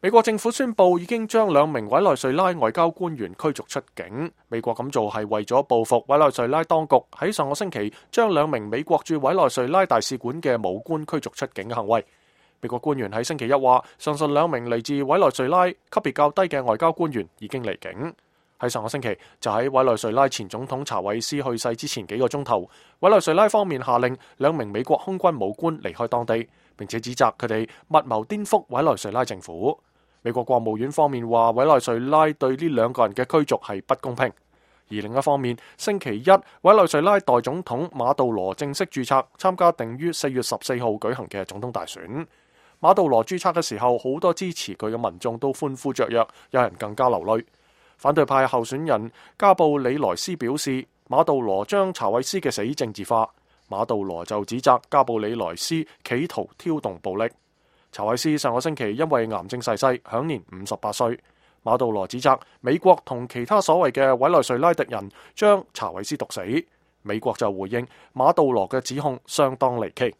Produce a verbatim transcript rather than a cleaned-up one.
美國政府宣布已經將兩名委內瑞拉外交官員驅逐出境。美國咁做係為咗報復委內瑞拉當局喺上個星期將兩名美國駐委內瑞拉大使館嘅武官驅逐出境嘅行為。美國官員喺星期一話，上述兩名嚟自委內瑞拉級別較低嘅外交官員已經離境。喺上個星期，就喺委內瑞拉前總統查韋斯去世之前幾個鐘頭，委內瑞拉方面下令兩名美國空軍武官離開當地，並且指責佢哋密謀顛覆委內瑞拉政府。美國國務院方面話，委內瑞拉對呢兩個人嘅驅逐係不公平。而另一方面，星期一，委內瑞拉代總統馬杜羅正式註冊參加定於四月十四號舉行嘅總統大選。馬杜羅註冊嘅時候，好多支持佢嘅民眾都歡呼雀躍，有人更加流淚。反對派候選人加布里萊斯表示，馬杜羅將查韋斯嘅死政治化。馬杜羅就指責加布里萊斯企圖挑動暴力。查韋斯上個星期因為癌症逝世，享年五十八歲。馬杜羅指責美國同其他所謂嘅委內瑞拉敵人將查韋斯毒死。美國就回應馬杜羅嘅指控相當離奇。